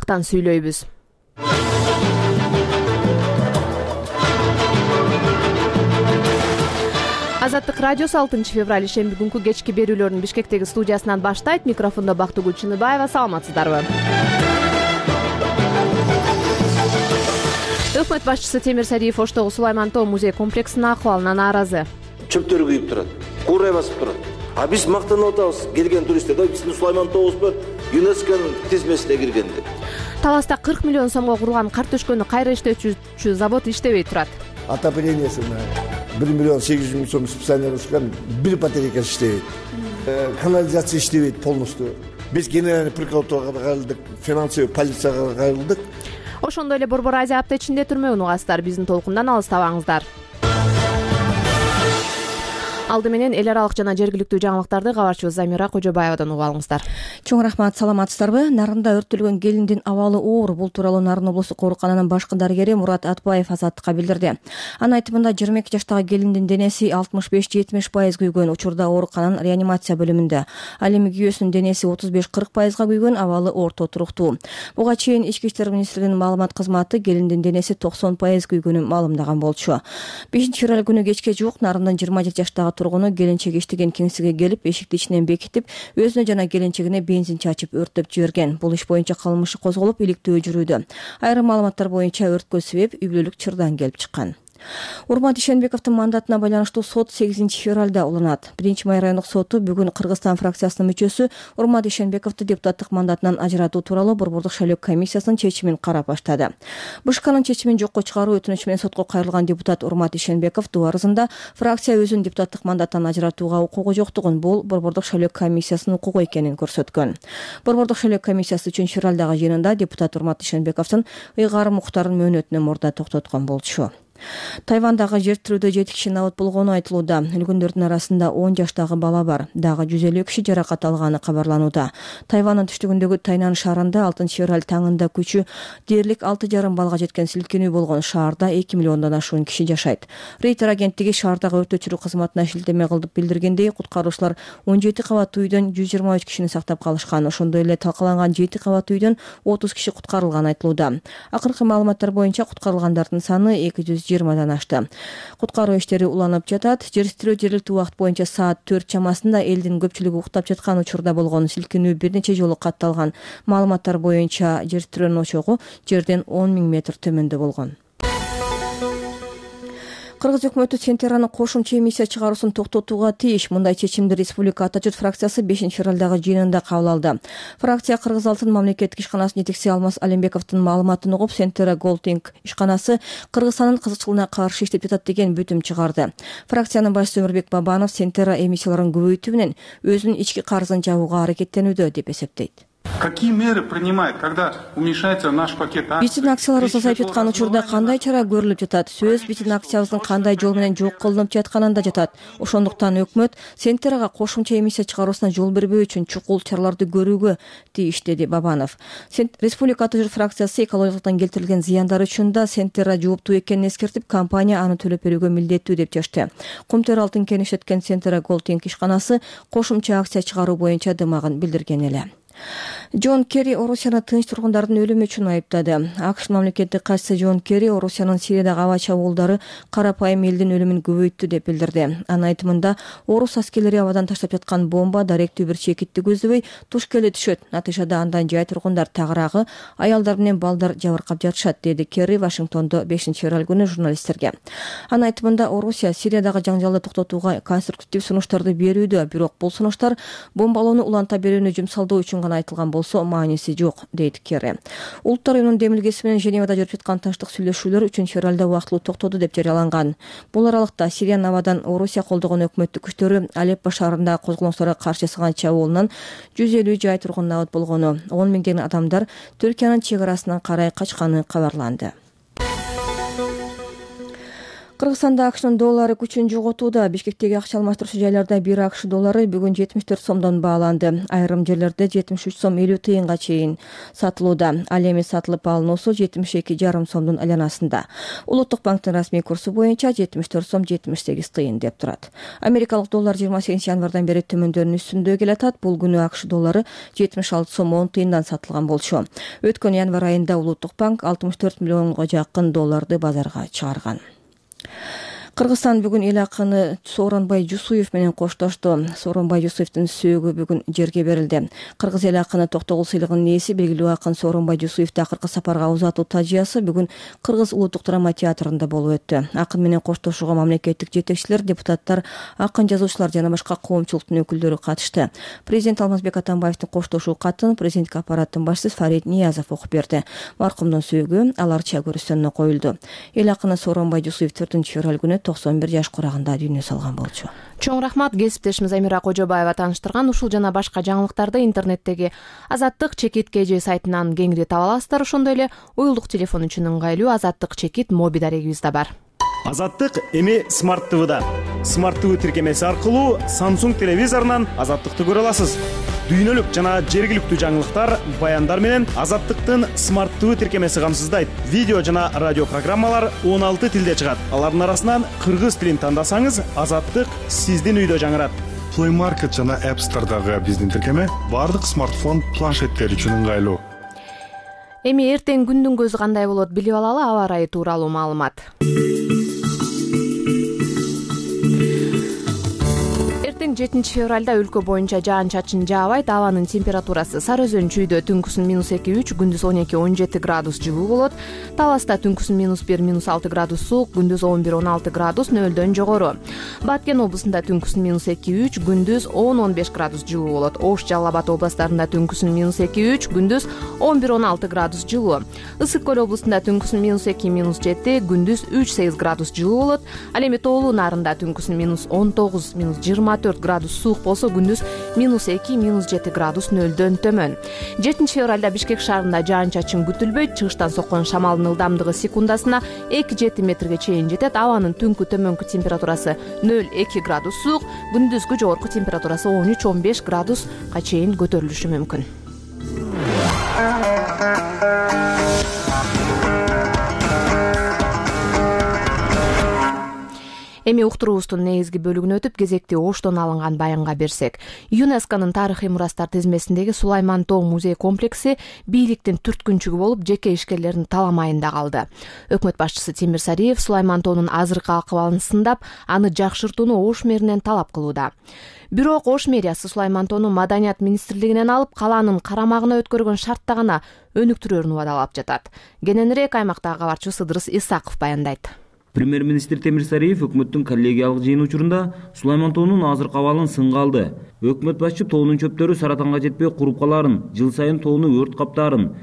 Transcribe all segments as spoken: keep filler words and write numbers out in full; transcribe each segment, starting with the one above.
аймактан сүйлөйбүз. Азаттык радиосу алтынчы февраль ишемби күнкү кечки берүүлөрүн Бишкектеги студиясынан баштайт. Микрофондо Бактыгүл Чыныбаева. Саламатсыздарбы? Өкмөт башчысы Темир Сариев Оштогу Сулайман тоо музей комплексинин акыбалына нааразы. Чөптөр күйүп турат, куурай басып турат. А биз мактанып атабыз келген туристтер, да биздин Сулайман тообуз бар, ЮНЕСКОнун тизмесине кирген деп. Таласта кырк миллион сомго курулган кар төшкөнү кайра иштетүүчү завод иштебей турат. Отоплениясына бир миллион сегиз жүз миң сом специально ушкан бир батарейка иштебейт. Канализация иштебейт полностью. Биз генеральный прокуратурага кайрылдык, финансовый полицияга кайрылдык. Ошондой эле Борбор Азия апта ичинде түрмөгүн угасыздар. Биздин толкундан алыстабаңыздар. Алды менен эл аралык жана жергиликтүү жаңылыктарды кабарчыбыз Замира Кожобаевадан угуп алыңыздар. Чоң рахмат, саламатсыздарбы? Нарында өрттөлгөн келиндин абалы оор. Бул тууралуу Нарын облустук оорукананын башкы дарыгери Мурат Атбаев Азаттыкка билдирди. Анын айтымында жыйырма эки жаштагы келиндин денеси алтымыш беш жетимиш пайыз күйгөн. Учурда оорукананын реанимация бөлүмүндө. Ал эми күйөөсүнүн денеси отуз беш кырк пайызга күйгөн, абалы орто туруктуу. Буга чейин Ички иштер министрлигинин маалымат кызматы келиндин денеси токсон пайыз күйгөнүн маалымдаган болчу. бешинчи февраль күнү кечке жуук Нарындын жыйырма жети жаштагы тургуну келинчеги иштеген кеңсеге келип, эшикти ичинен бекитип, өзүнө жана келинчегине бензин чачып өрттөп жиберген. Бул иш боюнча кылмыш козголуп, иликтөө жүрүүдө. Айрым маалыматтар боюнча өрткө себеп үй бүлөлүк чырдан келип чыккан. Урмат Ишенбековдун мандатына байланыштуу сот сегизинчи февралда уланат. биринчи май райондук соту бүгүн Кыргызстан фракциясынын мүчөсү Урмат Ишенбековду депутаттык мандатынан ажыратуу тууралуу Борбордук шайлоо комиссиясынын чечимин карап баштады. БШКнын чечимин жокко чыгаруу өтүнүчү менен сотко кайрылган депутат Урмат Ишенбеков доо арызында фракция өзүнүн депутаттык мандаттан ажыратууга укугу жоктугун, бул Борбордук шайлоо комиссиясынын укугу экенин көрсөткөн. Борбордук шайлоо комиссиясы үчүнчү февралдагы жыйынында депутат Урмат Ишенбековдун ыйгарым муктарын мөөнөтүнө мурда токтоткон болчу. Тайвандагы жер тирүүдө жети киши набыт болгону айтылууда. Өлгөндөрдүн арасында он жаштагы бала бар. Дагы жүз элүү киши жаракат алганы кабарланууда. Тайвандын түштүгүндөгү Тайнан шаарында алтынчы февраль таңында күчү дээрлик алты жарым балга жеткен силкинүү болгон. Шаарда эки миллиондон ашуун киши жашайт. Рейтер агенттиги шаардагы өрт өчүрүү кызматына шилтеме кылдып билдиргендей, куткаруучулар он жети кабаттуу үйдөн жүз жыйырма үч кишини сактап калышкан. Ошондой эле талкаланган жети кабаттуу үйдөн отуз киши куткарылганы айтылууда. Акыркы маалыматтар боюнча куткарылгандардын саны эки жүз жыйырмадан ашты. Куткаруу иштери уланып жатат. Жер тирөө жергиликтүү убакыт боюнча саат төрт чамасында элдин көпчүлүгү уктап жаткан учурда болгон. Силкинүү бир нече жолу катталган. Маалыматтар боюнча жер тирөөнүн очогу жерден он миң метр төмөндө болгон. Кыргыз өкмөтү Сентераны кошумча эмиссия чыгаруусун токтотууга тийиш. Мындай чечимди Республика Ата журт фракциясы бешинчи февралдагы жыйынында кабыл алды. Фракция Кыргыз алтын мамлекеттик ишканасынын жетекчиси Алмаз Алимбековдун маалыматын угуп, Сентера Голдинг ишканасы Кыргызстандын кызыкчылыгына каршы иштеп жатат деген бүтүм чыгарды. Фракциянын башчысы Өмүрбек Бабанов Сентера эмиссияларын көбөйтүү менен өзүнүн ички карызын жабууга аракеттенүүдө деп эсептейт. Какие меры принимает, когда уменьшается наш пакет акций? Биздин акцияларыбыз азайып жаткан учурда кандай чара көрүлүп жатат? Сөз биздин акциябыздын кандай жол менен жок кылынып жатканында жатат. Ошондуктан өкмөт Сентерага кошумча эмиссия чыгаруусуна жол бербөө үчүн чукул чараларды көрүүгө тийиш, деди Бабанов. Республика Ата журт фракциясы экологиялыктан келтирилген зыяндар үчүн да Сентера жооптуу экенин эскертип, компания аны төлөп берүүгө милдеттүү деп чечти. Кумтөр алтын кен иштеткен Сентера Голдинг ишканасы кошумча акция чыгаруу боюнча дымагын билдирген эле. Джон Керри Орусияны тынч тургундардын өлүмү үчүн айыптады. АКШ мамлекеттик катчысы Джон Керри Орусиянын Сириядагы аба чабуулдары карапайым элдин өлүмүн көбөйттү деп билдирди. Анын айтымында, орус аскерлери абадан таштап жаткан бомба даректүү бир чекитти көздөбөй туш келе түшөт. Натыйжада андан жай тургундар тагыраагы аялдар менен балдар жабыркап жатышат, деди Керри Вашингтондо бешинчи февраль күнү журналисттерге. Анын айтымында, Орусия Сириядагы жаңжалды токтотууга конструктив сунуштарды берүүдө, бирок бул сунуштар бомбалоону уланта берүүнү жумсалдоо үчүн гана айтылган болсо мааниси жок, дейт Керри. Улуттар уюмунун демилгеси менен Женевада жүрүп жаткан тынчтык сүйлөшүүлөр үчүнчү февралда убактылуу токтоду деп жарыяланган. Бул аралыкта Сириянын абадан Орусия колдогон өкмөттүк күчтөрү Алеппо шаарындагы козголоңчуларга каршы жасаган чабуулунан жүз элүү жай тургун набыт болгону, он миңдеген адамдар Түркиянын чек арасынан карай качканы кабарланды. Кыргызстанда акчнын доллары күчүн жоготууда. Бишкектеги акча алмаштыруучу жайларда бир акч доллары бүгүн жетимиш төрт сомдон бааланды. Айрым жерлерде жетимиш үч сом элүү тыйынга чейин сатылууда. Ал эми сатылып алынуусу жетимиш эки жарым сомдун айланасында. Улуттук банктын расмий курсу боюнча жетимиш төрт сом жетимиш сегиз тыйын деп турат. Америкалык доллар жыйырма сегизинчи январдан бери төмөндөрүнүн үстүндө келатат. Бул күнү акч доллары жетимиш алты сом он тыйындан сатылган болчу. Өткөн январ айында Улуттук банк алтымыш төрт миллионго жакын долларды базарга чыгарган. Кыргызстан бүгүн эл акыны Сооронбай Жусуев менен коштошту. Сооронбай Жусуевдин сөөгү бүгүн жерге берилди. Кыргыз эл акыны Токтогул сыйлыгынын ээси белгилүү акын Сооронбай Жусуевди акыркы сапарга узатуу тажыясы бүгүн Кыргыз улуттук драма театрында болуп өттү. Акын менен коштошууга мамлекеттик жетекчилер, депутаттар, акын жазуучулар жана башка коомчулуктун өкүлдөрү катышты. Президент Алмазбек Атамбаевдин коштошуу катын президенттик аппараттын башчысы Фарид Ниязов окуп берди. Маркумдун сөөгү аларча көрүстөнүнө коюлду. Эл акыны Сооронбай Жусуев төртүнчү февраль күнү токсон бир жаш курагында дүйнө салган болчу. Чоң рахмат. Кесиптешimiz Амира Кожобаева тааныштырган ушул жана башка жаңылыктарды интернеттеги Азаттык чекит кж сайтынан кеңири таба аласыздар. Ошондой эле уюлдук телефон үчүн ыңгайлуу Азаттык чекит моби дарегибиз да бар. Азаттык эми Smart ти ви-да. Smart ти ви тиркемеси аркылуу Samsung телевизорунан Азаттыкты көрө аласыз. Дүйнөлүк жана жергиликтүү жаңылыктар, баяндар менен Азаттыктын Smart ти ви тиркемеси камсыздайт. Видео жана радио программалар он алты тилде чыгат. Алардын арасынан кыргыз тилин тандасаңыз, Азаттык сиздин үйдө жаңырат. Play Market жана App Store'дагы биздин тиркеме бардык смартфон, планшеттер үчүн ыңгайлуу. Эми эртең күндүн көзү кандай болот билип алалы. Аба ырайы тууралуу маалымат. жетинчи февралда өлкө боюнча жаан-чачын жаабайт. Абанын температурасы Сары Өзөн чүйдө түнкүсүн минус эки үч, күндүз он эки он жети градус жылуу болот. Таласта түнкүсүн минус бир минус алты градус суук, күндүз он бир он алты градус нөлдөн жогору. Баткен облусунда түнкүсүн минус эки үч, күндүз он он беш градус жылуу болот. Ош, Жалал Абад областарында түнкүсүн минус эки үч, күндүз он бир он алты градус жылуу. Ысык Көл облусунда түнкүсүн минус эки минус жети, күндүз үч сегиз градус жылуу болот. Ал эми Тоолуу Нарында түнкүсүн минус он тогуз минус жыйырма төрт градус суук болсо, күндүз минус эки минус жети градус нөлдөн төмөн. жетинчи февралда Бишкек шаарында жаан-чачын күтүлбөйт. Чыгыштан соккон шамалдын ылдамдыгы секундасына эки жети метрге чейин жетет. Абанын түнкү төмөнкү температурасы нөл эки градус суук, күндүзгү жогорку температурасы он үч он беш градуска чейин көтөрүлүшү мүмкүн. Эми уктуруубуздун негизги бөлүгүнө өтүп, кезекти Оштон алынган баянга берсек. ЮНЕСКОнун тарыхый мурастар тизмесиндеги Сулайман Тоо музей комплекси бийликтин түрткүнчүгү болуп, жеке ишкерлердин таламайында калды. Өкмөт башчысы Темир Сариев Сулайман Тоонун азыркы акыбалын сындап, аны жакшыртууну Ош мэринен талап кылууда. Бирок Ош мэриясы Сулайман Тоону Маданият министрлигинен алып, калаанын карамагына өткөргөн шартта гана өнүктүрөөрүн убадалап жатат. Кененирээк аймактагы кабарчыбыз Ыдырыс Исаков баяндайт. Премьер-министр Темир Сариев өкмөттүн коллегиялык жыйын учурунда Сулайман Тоонун азыркы абалын сынга алды. Өкмөт башчы тоонун чөптөрү саратанга жетпей куруп каларын, жыл сайын тоону өрт каптаарын,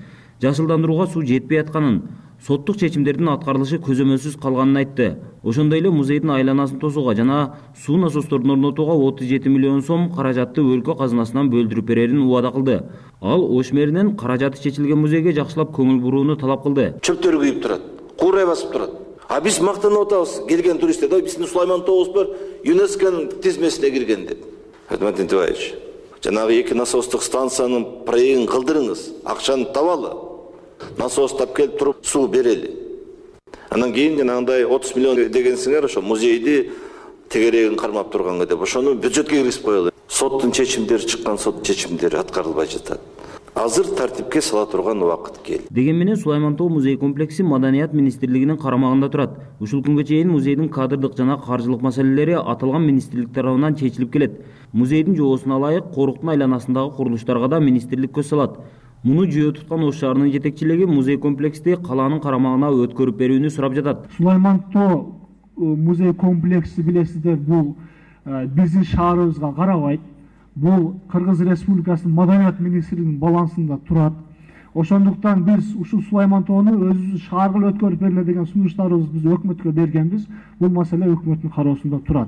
жашылдандырууга суу жетпей атканын, соттук чечимдердин аткарылышы көзөмөлсүз калганын айтты. Ошондой эле музейдин айланасын тосууга жана суу насостордун орнотууга отуз жети миллион сом каражатты өлкө казынасынан бөлдүрүп берерин убада кылды. Ал Ош мэринен каражаты чечилген музейге жакшылап көңүл бурууну талап кылды. Чөптөр күйүп турат, куурай басып турат. А биз мактанып атабыз, келген туристтер, да биздин Сулайман Тообуз бар, ЮНЕСКонун тизмесине кирген деп. Дмитрий Николаевич, жанагы эки насостук станциянын проектин кылдырыңыз, акчаны табалы. Насос тап келип туруп суу берели. Анан кийин жанагындай отуз миллион дегенсиңер, ошо музейди тегерегин кармап турганга деп, ошону бюджетке киргизип коелу. Соттун чечимдери чыккан, сот чечимдери аткарылбай жатат. Азыр тартипке сала турган убакыт келди. Деген менен Сулайман Тоо музей комплекси Маданият министрлигинин карамагында турат. Ушул күнгө чейин музейдин кадрдык жана каржылык маселелери аталган министрлик тарабынан чечилип келет. Музейдин жоосуна ылайык коруктун айланасындагы курулуштарга да министрлик көз салат. Муну жөө туткан Ош шаарынын жетекчилиги музей комплексти калаанын карамагына өткөрүп берүүнү сурап жатат. Сулайман Тоо музей комплекси билесиздер, бул биздин шаарыбызга карабайт. Бул Кыргыз Республикасынын Маданият министрлигинин балансында турат. Ошондуктан биз ушул Сулайман Тоону өзүбүз шаарга өткөрүп бериле деген сунуштарыбызды биз өкмөткө бергенбиз. Бул маселе өкмөттүн кароосунда турат.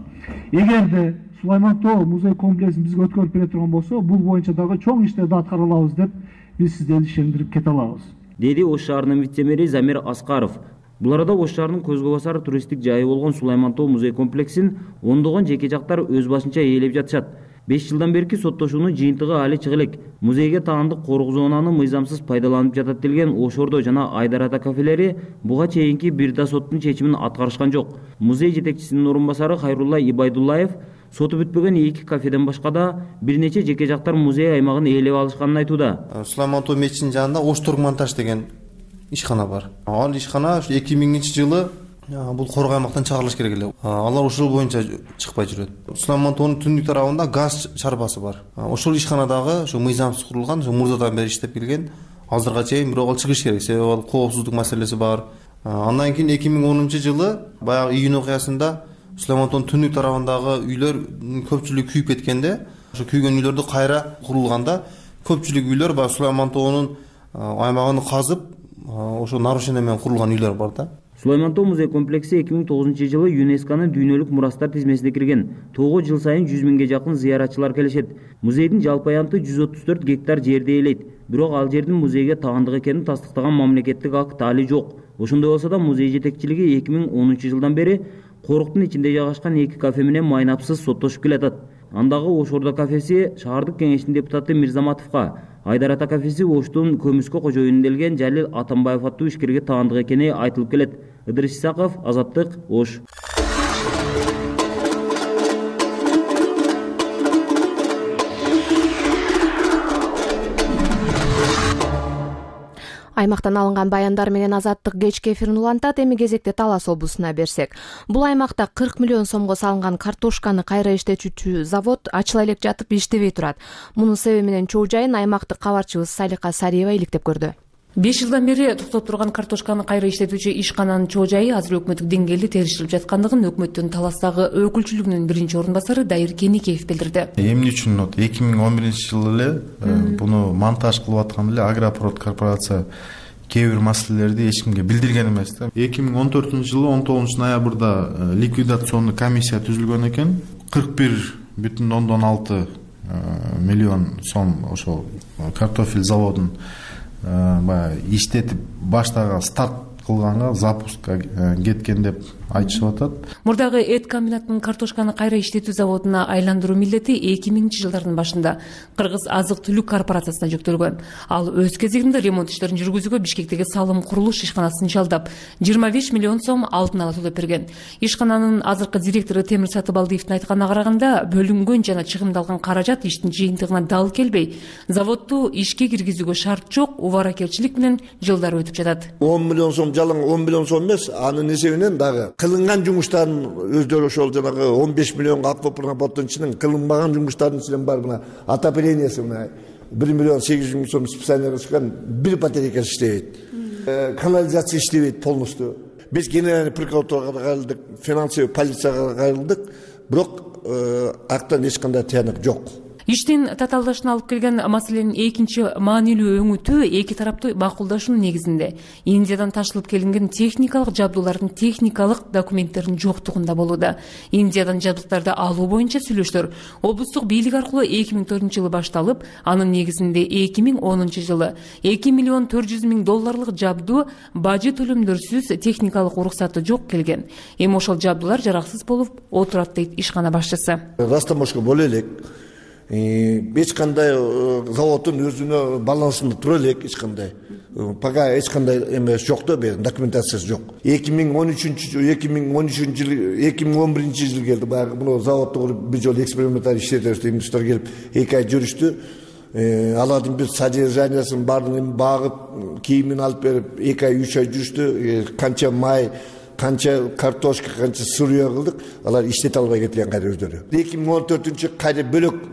Эгерде Сулайман Тоо музей комплексин бизге өткөрүп бере турган болсо, бул боюнча дагы чоң иштерди аткара алабыз деп биз сиздерди ишендирип кете алабыз. Деди Ош шаарынын вице-мэри Замир Аскаров. Бул арада Ош шаарынын көзгө басар туристтик жайы болгон Сулайман Тоо музей комплексин ондогон жеке жактар өз башынча ээлеп жатышат. беш жылдан берки соттошуунун жыйынтыгы али чыга элек. Музейге таандык коргоо зонаны мыйзамсыз пайдаланып жатат делген Ош Ордо жана Айдар ата кафелери буга чейинки бир да соттун чечимин аткарышкан жок. Музей жетекчисинин орун басары Хайрулла Ибайдуллаев соту бүтпөгөн эки кафеден башка да бир нече жеке жактар музей аймагын ээлеп алышканын айтууда. Сулайман Тоо мечитинин жанында Ош Торгмонтаж деген ишкана бар. Ал ишкана ушу эки миңинчи жылы бул коргоо аймактан чыгарылыш керек эле. Алар ушул боюнча чыкпай жүрөт. Сулайман Тоонун түндүк тарабында газ чарбасы бар. Ошол ишканадагы ушу мыйзамсыз курулган, ушу мурзадан бери иштеп келген. Азырга чейин бирок ал чыгыш керек, себеби ал коопсуздук маселеси бар. Андан кийин эки миң онунчу жылы баягы июнь окуясында Сулайман Тоонун түндүк тарабындагы үйлөр көпчүлүгү күйүп кеткенде, ошо күйгөн үйлөрдү кайра курулганда көпчүлүк үйлөр баягы Сулайман Тоонун аймагын казып, ошо нарушение менен курулган үйлөр бар да. Сулайман Тоо музей комплекси эки миң тогузунчу жылы ЮНЕСКОнун дүйнөлүк мурастар тизмесине кирген. Тоого жыл сайын жүз миңге жакын зыяратчылар келишет. Музейдин жалпы аянты жүз отуз төрт гектар жерди ээлейт. Бирок ал жердин музейге таандык экенин тастыктаган мамлекеттик акт али жок. Ошондой болсо да музей жетекчилиги эки миң онунчу жылдан бери коруктун ичинде жайгашкан эки кафе менен майнапсыз соттошуп келатат. Андагы Ош Ордо кафеси шаардык кеңештин депутаты Мирзаматовго, Айдар ата кафеси Оштун көмүскө кожоюну делген Жалил Атамбаев аттуу ишкерге таандык экени айтылып келет. Ыдырыс Исаков, Азаттык, Ош. Аймактан алынган баяндар менен Азаттык кечки эфирин улантат. Эми кезекте Талас облусуна берсек. Бул аймакта кырк миллион сомго салынган картошканы кайра иштетүүчү завод ачыла элек жатып иштебей турат. Мунун себеби менен чоо жайын аймактык кабарчыбыз Салика Сариева иликтеп көрдү. беш жылдан бери токтоп турган картошканы кайра иштетүүчү ишкананын чоо жайы азыр өкмөттүк деңгээлде териштирип жаткандыгын өкмөттүн Таластагы өкүлчүлүгүнүн биринчи орун басары Дайыр Кеникеев билдирди. Эмне үчүн вот эки миң он биринчи жылы эле буну монтаж кылып аткан эле Агропрод корпорация кээ бир маселелерди эч кимге билдирген эмес да. эки миң он төртүнчү жылы он тогузунчу ноябрда ликвидационный комиссия түзүлгөн экен. кырк бир бүтүн ондон алты миллион сом ошол картофель заводун баягы иштетип баштаган старт кылганга, запускка кеткен деп айтышып атат. Мурдагы эт комбинатынын картошканы кайра иштетүү заводуна айландыруу милдети эки миңинчи жылдардын башында Кыргыз азык-түлүк корпорациясына жүктөлгөн. Ал өз кезегинде ремонт иштерин жүргүзүүгө Бишкектеги салым курулуш ишканасын жалдап жыйырма беш миллион сом алдын ала төлөп берген. Ишкананын азыркы директору Темир Сатыбалдиевдин айтканына караганда, бөлүнгөн жана чыгымдалган каражат иштин жыйынтыгына дал келбей, заводду ишке киргизүүгө шарт жок, убаракерчилик менен жылдар өтүп жатат. он миллион сом жалаң он миллион сом эмес, анын эсебинен дагы кылынган жумуштардын өздөрү ошол жанагы он беш миллионго аквапромботтун ичинен кылынбаган жумуштардын ичинен бар мына отоплениясы мына бир миллион сегиз жүз миң сом специально чыккан бир батарейкасы иштебейт. Канализация иштебейт полностью. Биз генеральный прокуратурага кайрылдык, финансовый полицияга кайрылдык, бирок актан эч кандай тыянак жок. Иштин татаалдашына алып келген маселенин экинчи маанилүү өңүтү эки тараптуу макулдашуунун негизинде Индиядан ташылып келинген техникалык жабдуулардын техникалык документтеринин жоктугунда болууда. Индиядан жабдыктарды алуу боюнча сүйлөштөр облустук бийлик аркылуу эки миң төртүнчү жылы башталып, анын негизинде эки миң онунчу жылы эки миллион төрт жүз миң долларлык жабдуу бажы төлөмдөрсүз техникалык уруксаты жок келген. Эми ошол жабдуулар жараксыз болуп отурат дейт ишкана башчысы. Растамошко боло элек. Эч кандай заводдун өзүнө балансында тура элек, эч кандай. Пока эч кандай эмес жок да, документациясы жок. эки миң он үчүнчү эки миң он үчүнчү жыл, эки миң он биринчи жыл келди. Баягы мына заводду куруп бир жолу эксперименталь иштетебиз деп инвестор келип эки ай жүрүштү. Алардын бир содержаниясын баарын багып, кийимин алып берип эки ай үч ай жүрүштү. Канча май, канча картошка, канча сырье кылдык, алар иштете албай кеткен кайра өздөрү. эки миң он төртүнчү кайра бөлөк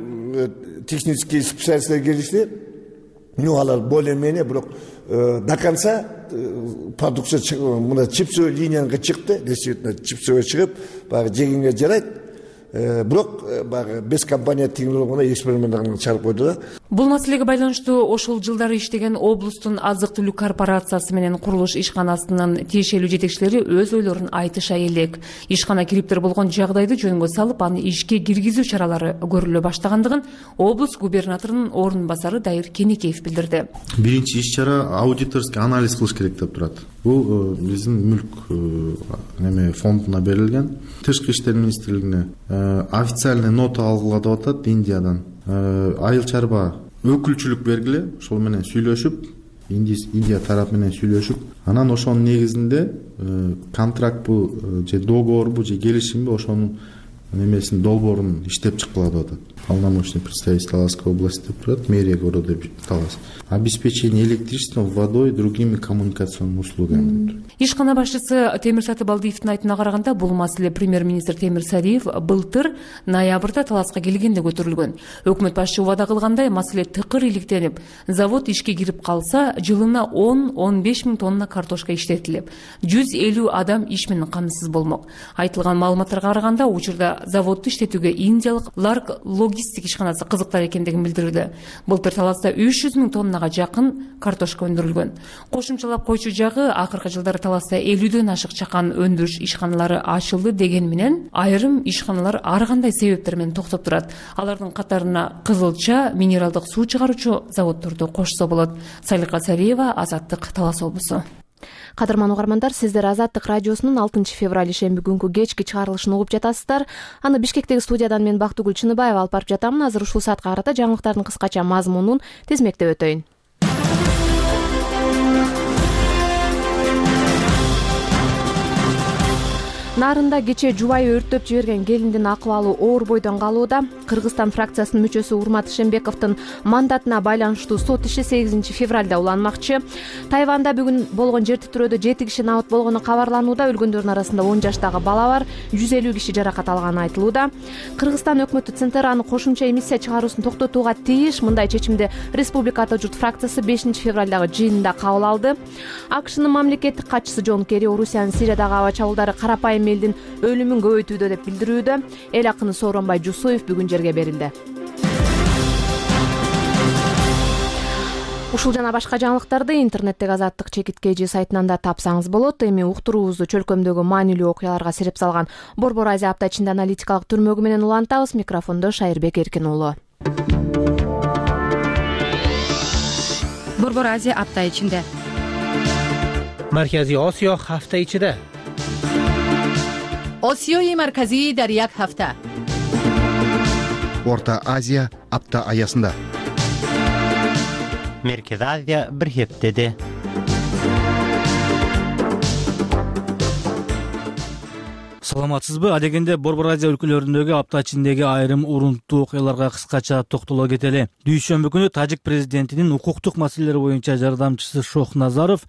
технические специалисттер келишти. Ну, алар более-менее, бирок до конца продукция мына чипсовый линияга чыкты, действительно чипсовый чыгып, баягы жегенге жарайт. Бирок баягы без компания теңдүү болгондо эксперимент чыгарып койду да. Бул маселеге байланыштуу ошол жылдары иштеген облустун азык түлүк корпорациясы менен курулуш ишканасынын тиешелүү жетекчилери өз ойлорун айтыша элек. Ишкана кириптер болгон жагдайды жөнгө салып, аны ишке киргизүү чаралары көрүлө баштагандыгын облус губернаторунун орун басары Дайыр Кенекеев билдирди. Биринчи иш чара аудиторский анализ кылыш керек деп турат. Бул биздин мүлк неме фондуна берилген. Тышкы иштер министрлигине официальный нота алгыла деп атат Индиядан. Айыл чарба өкүлчүлүк бергиле, ошол менен сүйлөшүп, Индия тарап менен сүйлөшүп, анан ошонун негизинде контрактбу же договорбу же келишимби ошонун немесин долбоорун иштеп чыккыла деп атат. Полномочный представитель Таласской области деп турат, мэрия города Талас. Обеспечение электричеством, водой и другими коммуникационными услугами. Ишкана башчысы Темир Сатыбалдиевдин айтына караганда, бул маселе премьер-министр Темир Сариев былтыр ноябрда Таласка келгенде көтөрүлгөн. Өкмөт башчы убада кылгандай, маселе тыкыр иликтенип, завод ишке кирип калса, жылына он — он беш миң тонна картошка иштетилип, жүз элүү адам иш менен камсыз болмок. Айтылган маалыматтарга караганда, учурда заводду иштетүүгө индиялык Ларк логистик ишканасы кызыктар экендигин билдирди. Былтыр Таласта үч жүз миң тоннага жакын картошка өндүрүлгөн. Кошумчалап койчу жагы, акыркы жылдары Таласта элүүдөн ашык чакан өндүрүш ишканалары ачылды деген менен, айрым ишканалар ар кандай себептер менен токтоп турат. Алардын катарына кызылча, минералдык суу чыгаруучу заводдорду кошсо болот. Салика Цариева, Азаттык, Талас облусу. Кадырман угармандар, сиздер Азаттык радиосунун алтынчы февраль шемби күнкү кечки чыгарылышын угуп жатасыздар. Аны Бишкектеги студиядан мен Бактыгүл Чыныбаева алып барып жатамын. Азыр ушул саатка карата жаңылыктардын кыскача мазмунун тизмектеп өтөйүн. Нарында кече жубайы өрттөп жиберген келиндин акыбалы оор бойдон калууда. Кыргызстан фракциясынын мүчөсү Урмат Шембековдун мандатына байланыштуу сот иши сегизинчи февралда уланмакчы. Тайванда бүгүн болгон жер титирөөдө жети киши набыт болгону кабарланууда. Өлгөндөрдүн арасында он жаштагы бала бар, жүз элүү киши жаракат алганы айтылууда. Кыргызстан өкмөтү Центраны кошумча эмиссия чыгаруусун токтотууга тийиш. Мындай чечимди Республика Ата журт фракциясы бешинчи февралдагы жыйынында кабыл алды. АКШнын мамлекеттик катчысы Джон Керри Орусиянын Сириядагы аба чабуулдары карапайым элдин өлүмүн көбөйтүүдө деп билдирүүдө. Эл акыны Сооронбай Жусуев бүгүн жерге берилди. Ушул жана башка жаңылыктарды интернеттеги Азаттык чекиткежи сайтынан да тапсаңыз болот. Эми уктуруубузду чөлкөмдөгү маанилүү окуяларга сирип салган Борбор Азия апта ичинде аналитикалык түрмөгү менен улантабыз. Микрофондо Шайырбек Эркин уулу. Борбор Азия апта ичинде. Маркази Осиё ҳафта ичида. Осиёи марказӣ дар як ҳафта. Орта Азия апта аясында. Меркез Азия бир ҳептеде. Саламатсызбы? Адегенде Борбор Азия өлкөлөрүндөгү апта ичиндеги айрым урунттуу окуяларга кыскача токтоло кетели. Дүйшөмбү күнү Тажик президентинин укуктук маселелер боюнча жардамчысы Шохназаров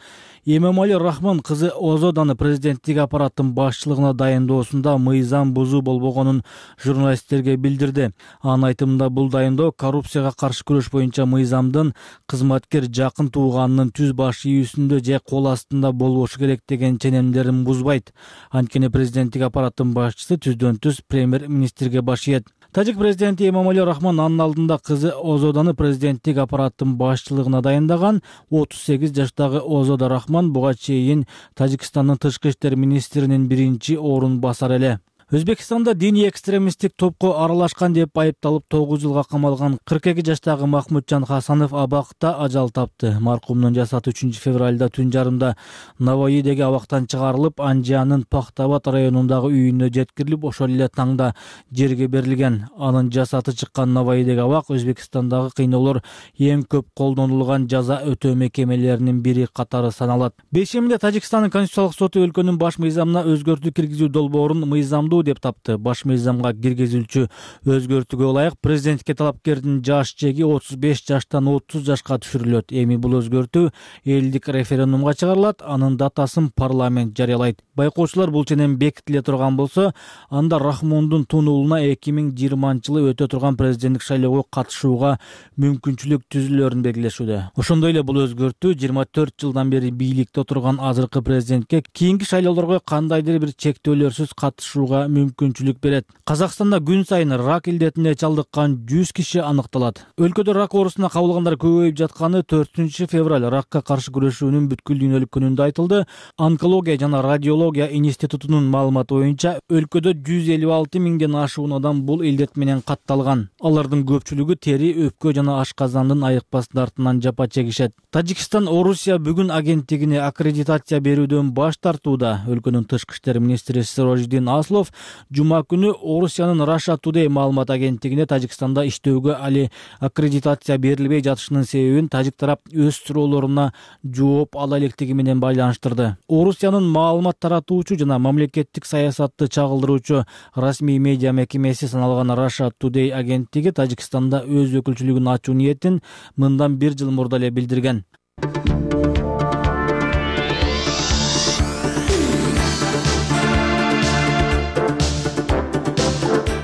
Эмомали Рахмон кызы Озоданы президенттик аппараттын башчылыгына дайындоосунда мыйзам бузуу болбогонун журналисттерге билдирди. Анын айтымында бул дайындоо коррупцияга каршы күрөш боюнча мыйзамдын кызматкер жакын тууганынын түз баш ийүүсүндө же кол астында болбошу керек деген ченемдерин бузбайт. Анткени президенттик аппараттын башчысы түздөн түз премьер-министрге баш ийет. Тажик президенти Эмомали Рахмон анын алдында кызы Озоданы президенттик аппараттын башчылыгына дайындаган. отуз сегиз жаштагы Озода Рахмон буга чейин Тажикстандын тышкы иштер министринин биринчи орун басары эле. Өзбекстанда диний экстремисттик топко аралашкан деп айыпталып тогуз жылга камалган кырк эки жаштагы Махмуджан Хасанов абакта ажал тапты. Маркумдун жасаты үчүнчү февралда түн жарымда Наваидеги абактан чыгарылып, Анжиянын Пахтабад районундагы үйүнө жеткирилип, ошол эле таңда жерге берилген. Анын жасаты чыккан Наваидеги абак Өзбекстандагы кыйноолор эң көп колдонулган жаза өтөө мекемелеринин бири катары саналат. Бешеминде Тажикстандын Конституциялык соту өлкөнүн баш мыйзамына өзгөртүү киргизүү долбоорун мыйзамдуу деп тапты. Баш мыйзамга киргизүүчү өзгөртүүгө ылайык президентке талапкердин жаш чеги отуз беш жаштан отуз жашка түшүрүлөт. Эми бул өзгөртүү элдик референдумга чыгарылат, анын датасын парламент жарыялайт. Байкоочулар бул ченем бекитиле турган болсо, анда Рахмондун Тун уулуна эки миң жыйырманчы жылы өтө турган президенттик шайлоого катышууга мүмкүнчүлүк түзүлөөрүн белгилешүүдө. Ошондой эле бул өзгөртүү жыйырма төрт жылдан бери бийликте отурган азыркы президентке кийинки шайлоолорго кандайдыр бир чектөөлөрсүз катышууга алганга мүмкүнчүлүк берет. Казакстанда күн сайын рак илдетине чалдыккан жүз киши аныкталат. Өлкөдө рак оорусуна кабылгандар көбөйүп жатканы төртүнчү февраль ракка каршы күрөшүүнүн бүткүл дүйнөлүк күнүндө айтылды. Онкология жана радиология институтунун маалыматы боюнча өлкөдө жүз элүү алты миңден ашуун адам бул илдет менен катталган. Алардын көпчүлүгү тери, өпкө жана ашказандын айыкпастын артынан жапа чегишет. Тажикстан Орусия бүгүн агенттигине аккредитация берүүдөн баш тартууда. Өлкөнүн тышкы иштер министри Сирожиддин Аслов жума күнү Орусиянын Russia Today маалымат агенттигине Тажикстанда иштөөгө али аккредитация берилбей жатышынын себебин тажик тарап өз суроолоруна жооп ала электиги менен байланыштырды. Орусиянын маалымат таратуучу жана мамлекеттик саясатты чагылдыруучу расмий медиа мекемеси саналган Russia Today агенттиги Тажикстанда өз өкүлчүлүгүн ачуу ниетин мындан бир жыл мурда эле билдирген.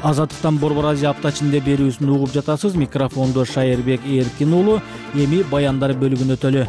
Азаттыктан Борбор Азия апта ичинде берүүсүн угуп жатасыз. Микрофондо Шайырбек Эркин уулу. Эми баяндар бөлүгүнө өтөлү.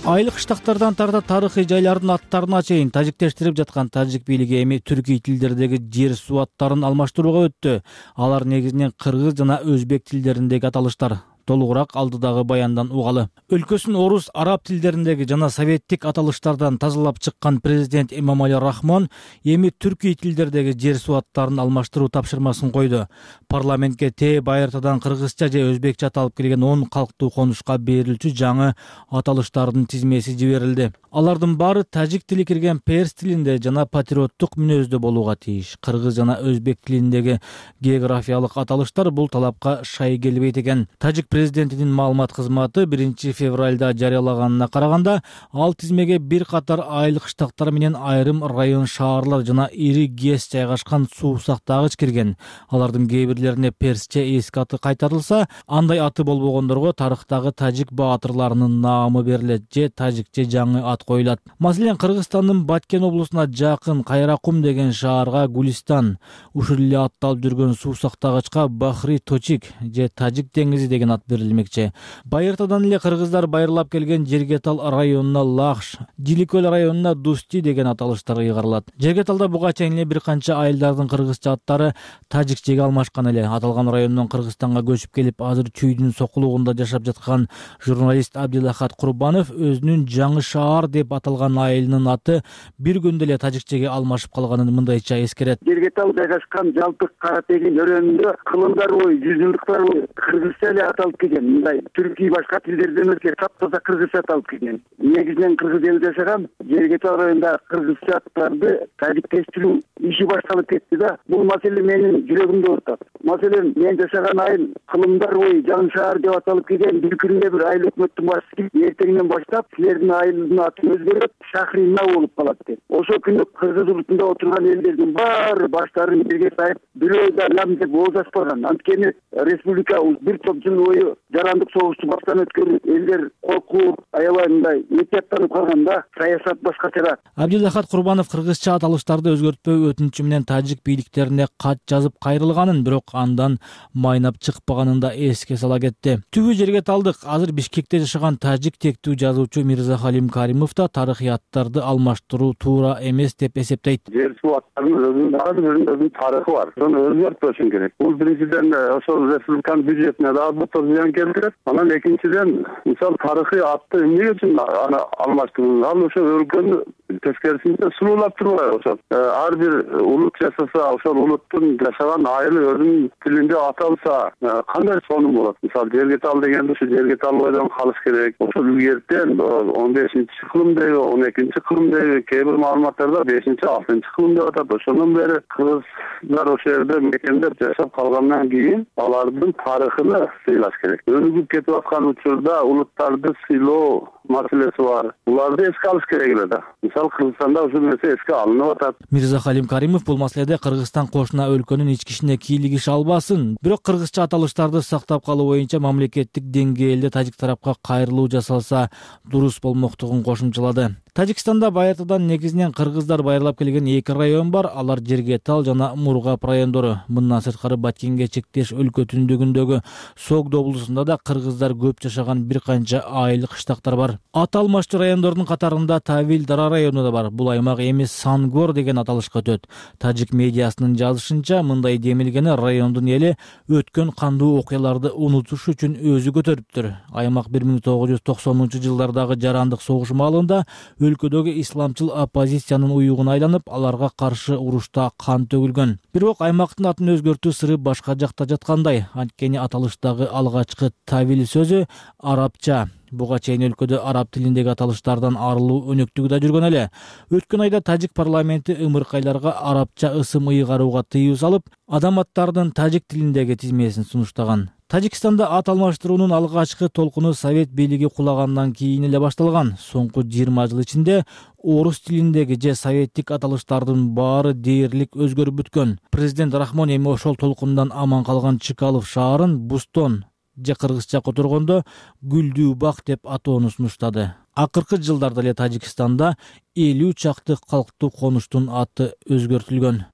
Айыл кыштактардан тарта тарыхый жайлардын аттарына чейин тажиктештирип жаткан тажик бийлиги эми түркий тилдердеги жер суу аттарын алмаштырууга өттү. Алар негизинен кыргыз жана өзбек тилдериндеги аталыштар. Толугураак алдыдагы баяндан угалы. Өлкөсүн орус, араб тилдериндеги жана советтик аталыштардан тазалап чыккан президент Эмомали Рахмон эми түркий тилдердеги жер суу аттарын алмаштыруу тапшырмасын койду. Парламентке Т байыртадан кыргызча же өзбекче аталып келген он калктуу конушка берилчү жаңы аталыштардын тизмеси жиберилди. Алардын баары тажик тили кирген перс тилинде жана патриоттук мүнөздө болууга тийиш. Кыргыз жана өзбек тилиндеги географиялык аталыштар бул талапка шай келбейт экен. Тажик президентинин маалымат кызматы биринчи февралда жарыялаганына караганда, ал тизмеге бир катар айыл кыштактар менен айрым район шаарлар жана ири ГЭС жайгашкан суу сактагыч кирген. Алардын кээ бирлерине персче эски аты кайтарылса, андай аты болбогондорго тарыхтагы тажик баатырларынын наамы берилет же тажикче жаңы ат коюлат. Маселен, Кыргызстандын Баткен облусуна жакын Кайракум деген шаарга Гулистан, ушул эле атталып жүргөн суу сактагычка Бахри Точик же Тажик деңизи деген ат берилмекчи. Байыртадан эле кыргыздар байырлап келген Жергетал районуна Лахш, Диликөл районуна Дусти деген аталыштар ыйгарылат. Жергеталда буга чейин эле бир канча айылдардын кыргызча аттары тажикчеге алмашкан эле. Аталган райондон Кыргызстанга көчүп келип, азыр чүйдүн сокулугунда жашап жаткан журналист Абдилахат Курбанов өзүнүн Жаңы шаар деп аталган айылынын аты бир күндө эле тажикчеге алмашып калганын мындайча эскерет. Жергетал жайгашкан жалпы Каратегин өрөөнүндө кылымдар бою, жүзүлдүктөр бою кыргызча эле аталып келген. Мындай түркий башка тилдерден өзгө таптаза кыргызча аталып келген. Негизинен кыргыз элде жашаган Жергетал районунда кыргызча аттарды тажиктештирүү иши башталып кетти да. Бул маселе менин жүрөгүмдө отурат. Маселен, мен жашаган айыл кылымдар бою Жаңы шаар деп аталып келген. Бир күндө бир айыл өкмөттүн башчысы эртеңден баштап силердин айылдын аты өзгөрүп Шахрина болуп калат деп. Ошол күнү кыргыз улутунда отурган элдердин баары баштарын жерге сайып, бирөө да лам деп ооз ачпаган. Анткени республика бир топ жыл бою жарандык согушту баштан өткөрүп, элдер коркуп, аябай мындай этияттанып калганда саясат башкачараак. Абдилахат Курбанов кыргызча аталыштарды өзгөртпөө өтүнүчү менен тажик бийликтерине кат жазып кайрылганын, бирок андан майнап чыкпаганын да эске сала кетти. Түбү жерге талдык. Азыр Бишкекте жашаган тажик тектүү жазуучу Мирзахалим Каримов да тарыхый аттарды алмаштыруу туура эмес деп эсептейт. Жер суу аттарынын өзүнүн тарыхы бар. Ошону өзгөртпөшүн керек. Бул биринчиден ошол республиканын бюджетине дагы бир зыян келтирет. Анан экинчиден, мисалы тарыхый атты эмне үчүн аны алмаштыруу? Ал ошо өлкөнү тескерисинче сулуулап турбайбы ошол. Ар бир улут жашаса, ошол улуттун жашаган айылы өзүнүн тилинде аталса, кандай сонун болот? Мисалы Жергетал дегенде ушу Жергетал бойдон калыш керек. Ошол илгертен он бешинчи кылымдагы, он экинчи кылымдагы кээ бир маалыматтарда бешинчи, алтынчы кылым деп атат. Ошондон бери кыргыздар ошол жерде мекендеп жашап калгандан кийин алардын тарыхын сыйлаш керек. Өнүгүп кетип аткан учурда улуттарды сыйлоо маселеси бар. Буларды эске алыш керек эле да. Мисалы Кыргызстанда ушул нерсе эске алынып атат. Мирзахалим Каримов бул маселеде Кыргызстан кошуна өлкөнүн ички ишине кийлигише албасын, бирок кыргызча аталыштарды сактап калуу боюнча мамлекеттик деңгээлде тажик тарапка кайрылуу жасалса дурус болмоктугун кошумчалады. Тажикстанда байыртадан негизинен кыргыздар байырлап келген эки район бар. Алар Жергетал жана Мургап райондору. Мындан сырткары Баткенге чектеш өлкө түндүгүндөгү Согд облусунда да кыргыздар көп жашаган бир канча айыл кыштактар бар. бар. Аты алмаштуу райондордун катарында Тавил Дара району да бар. Бул аймак эми Сангор деген аталышка өтөт. Тажик медиасынын жазышынча, мындай демилгени райондун эли өткөн кандуу окуяларды унутуш үчүн өзү көтөрүптүр. Аймак бир миң тогуз жүз токсонунчу жылдардагы жарандык согуш маалында өлкөдөгү исламчыл оппозициянын уюгуна айланып, аларга каршы урушта кан төгүлгөн. Бирок аймактын атын өзгөртүү сыры башка жакта жаткандай. Анткени аталыштагы алгачкы Тавил сөзү арабча. Буга чейин өлкөдө араб тилиндеги аталыштардан арылуу өнөктүгү да жүргөн эле. Өткөн айда тажик парламенти ымыркайларга арабча ысым ыйгарууга тыюу салып, адам аттарынын тажик тилиндеги тизмесин сунуштаган. Тажикстанда ат алмаштыруунун алгачкы толкуну совет бийлиги кулагандан кийин эле башталган. Соңку жыйырма жыл ичинде орус тилиндеги же советтик аталыштардын баары дээрлик өзгөрүп бүткөн. Президент Рахмон эми ошол толкундан аман калган Чкалов шаарын Бустон же кыргызча которгондо Гүлдүү бак деп атоону сунуштады. Акыркы жылдарда эле Тажикстанда элүү чакты калктуу конуштун аты өзгөртүлгөн.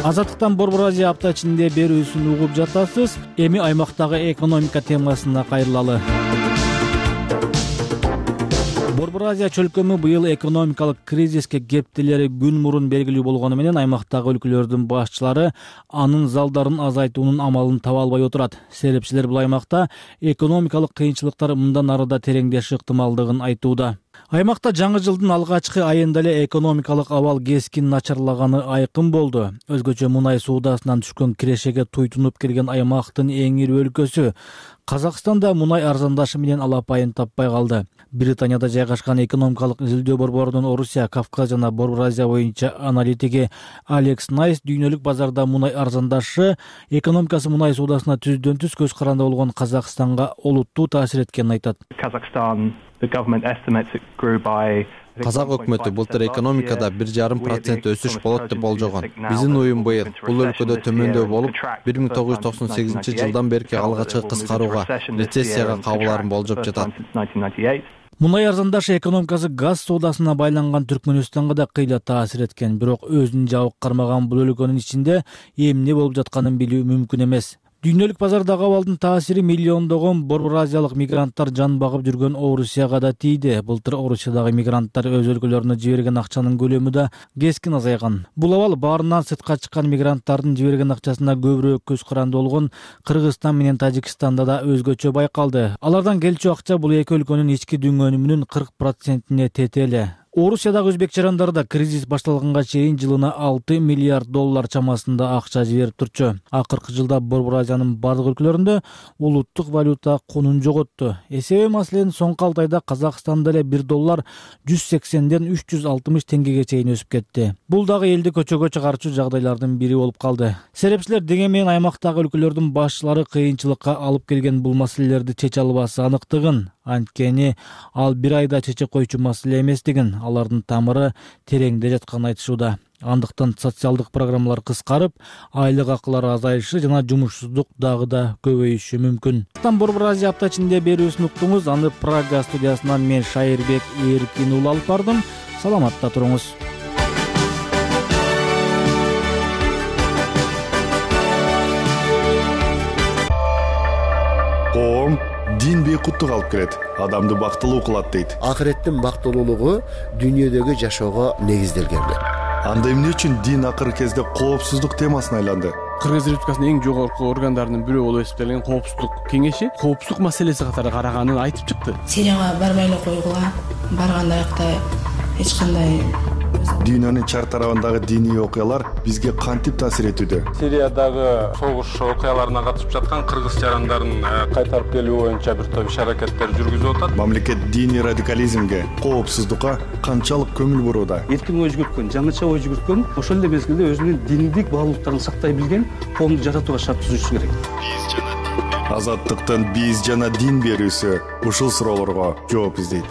Азаттыктан Борбор Азия апта ичинде берүүсүн угуп жатасыз. Эми аймактагы экономика темасына кайрылалы. Борбор Азия чөлкөмү быйыл экономикалык кризиске кептелери күн мурун белгилүү болгону менен аймактагы өлкөлөрдүн башчылары анын залдарын азайтуунун амалын таба албай отурат. Серепчилер бул аймакта экономикалык кыйынчылыктар мындан ары да тереңдеши ыктымалдыгын айтууда. Аймакта жаңы жылдын алгачкы айында эле экономикалык абал кескин начарлаганы айкын болду. Өзгөчө мунай суудасынан түшкөн кирешеге туйтунуп келген аймактын эң ири өлкөсү Казакстанда мунай арзандашы менен алапайын таппай калды. Британияда жайгашкан экономикалык изилдөө борборунун Орусия, Кавказ жана Борбор Азия боюнча аналитиги Алекс Найс дүйнөлүк базарда мунай арзандашы экономикасы мунай суудасына түздөн түз көз каранды болгон Казакстанга олуттуу таасир эткенин айтат. Казак өкмөтү былтыр экономикада бир жарым процент өсүш болот деп болжогон. Биздин уюм быйыл бул өлкөдө төмөндөй болуп, бир миң тогуз жүз токсон сегизинчи жылдан берки алгачкы кыскарууга, рецессияга кабыларын болжоп жатат. Мунай арзандашы экономикасы газ соодасына байланган Түркмөнстанга да кыйла таасир эткен. Бирок өзүн жабык кармаган бул өлкөнүн ичинде эмне болуп жатканын билүү мүмкүн эмес. Дүйнөлүк базардагы абалдын таасири миллиондогон борбор азиялык мигранттар жан багып жүргөн Орусияга да тийди. Былтыр Орусиядагы мигранттар өз өлкөлөрүнө жиберген акчанын көлөмү да кескин азайган. Бул абал баарынан сыртка чыккан мигранттардын жиберген акчасына көбүрөөк көз каранды болгон Кыргызстан менен Тажикстанда да өзгөчө байкалды. Алардан келчү акча бул эки өлкөнүн ички дүңгөнүмүнүн кырк процентине тете эле. Орусиядагы өзбек жарандары да кризис башталганга чейин жылына алты миллиард доллар чамасында акча жиберип турчу. Акыркы жылда Борбор Азиянын бардык өлкөлөрүндө улуттук валюта конун жоготту. Эсеби маселен соңку алты айда Казакстанда эле бир доллар жүз сексенден үч жүз алтымыш теңгеге чейин өсүп кетти. Бул дагы элди көчөгө чыгарчу жагдайлардын бири болуп калды. Серепчилер дегенмен аймактагы өлкөлөрдүн башчылары кыйынчылыкка алып келген бул маселелерди чече албасы аныктыгын, анткени ал бир айда чече койчу маселе эместигин, алардын тамыры тереңде жатканын айтышууда. Андыктан социалдык программалар кыскарып, айлык акылары азайышы жана жумушсуздук дагы да көбөйүшү мүмкүн. Борбор Азия апта ичинде берүүсүн уктуңуз. Аны Прага студиясынан мен Шайырбек Эркин уулу алып бардым. Саламатта туруңуз. Коом дин бейкуттук алып келет, адамды бактылуу кылат дейт. Акыреттин бактылуулугу дүйнөдөгү жашоого негизделген. Анда эмне үчүн дин акыркы кезде коопсуздук темасына айланды? Кыргыз Республикасынын эң жогорку органдарынын бирөө болуп эсептелген коопсуздук кеңеши коопсуздук маселеси катары караганын айтып чыкты. Сирияга барбай эле койгула, барганда аякта эч кандай Дүйнөнүн чар тарабындагы диний окуялар бизге кантип таасир этүүдө? Сириядагы согуш окуяларына катышып жаткан кыргыз жарандарын кайтарып келүү боюнча бир топ иш-аракеттер жүргүзүп атат. Мамлекет диний радикализмге, коопсуздукка канчалык көңүл бурууда? Эркин ой жүгүрткөн, жаңыча ой жүгүрткөн, ошол эле мезгилде өзүнүн диндик баалуулуктарын сактай билген коомду жаратууга шарт түзүшү керек. Азаттыктын биз жана дин берүүсү ушул суроолорго жооп издейт.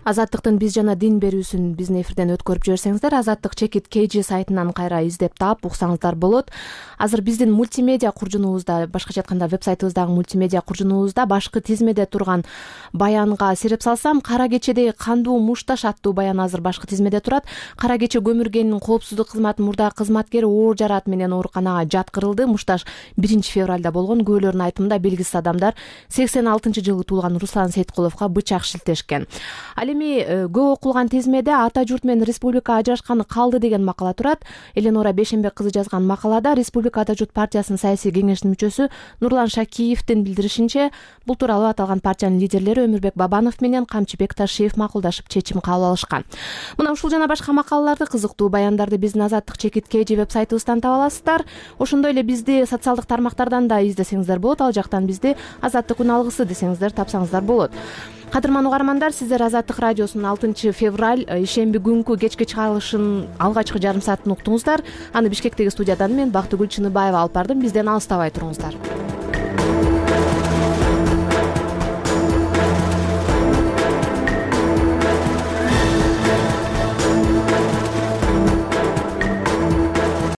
Азаттыктын биз жана дин берүүсүн биздин эфирден өткөрүп жиберсеңиздер, Азаттык чекит kg сайтынан кайра издеп таап уксаңыздар болот. Азыр биздин мультимедиа куржунубузда, башкача айтканда веб-сайтыбыздагы мультимедиа куржунубузда башкы тизмеде турган баянга сереп салсам, Кара кечедеги кандуу мушташ аттуу баян азыр башкы тизмеде турат. Кара кече көмүргенин коопсуздук кызматынын мурдагы кызматкери оор жараат менен ооруканага жаткырылды. Мушташ биринчи февралда болгон. Күбөлөрдүн айтымында белгисиз адамдар сексен алтынчы жылы туулган Руслан Сейткуловго бычак шилтешкен. Ал эми көп окулган тизмеде ата журт менен республика ажырашканы калды деген макала турат. Эленора Бешенбек кызы жазган макалада Республика ата журт партиясынын саясий кеңешинин мүчөсү Нурлан Шакиевдин билдиришинче, бул тууралуу аталган партиянын лидерлери Өмүрбек Бабанов менен Камчыбек Ташиев макулдашып чечим кабыл алышкан. Мына ушул жана башка макалаларды, кызыктуу баяндарды биздин Азаттык чекит kg веб-сайтыбыздан таба аласыздар. Ошондой эле бизди социалдык тармактардан да издесеңиздер болот. Ал жактан бизди Азаттык күн алгысы десеңиздер тапсаңыздар болот. Кадырман угармандар, сиздер Азаттык радиосунун алтынчы февраль ишемби күнкү кечки чыгарылышын алгачкы жарым саатын уктуңуздар. Аны Бишкектеги студиядан мен Бактыгүл Чыныбаева алып бардым. Бизден алыстабай туруңуздар.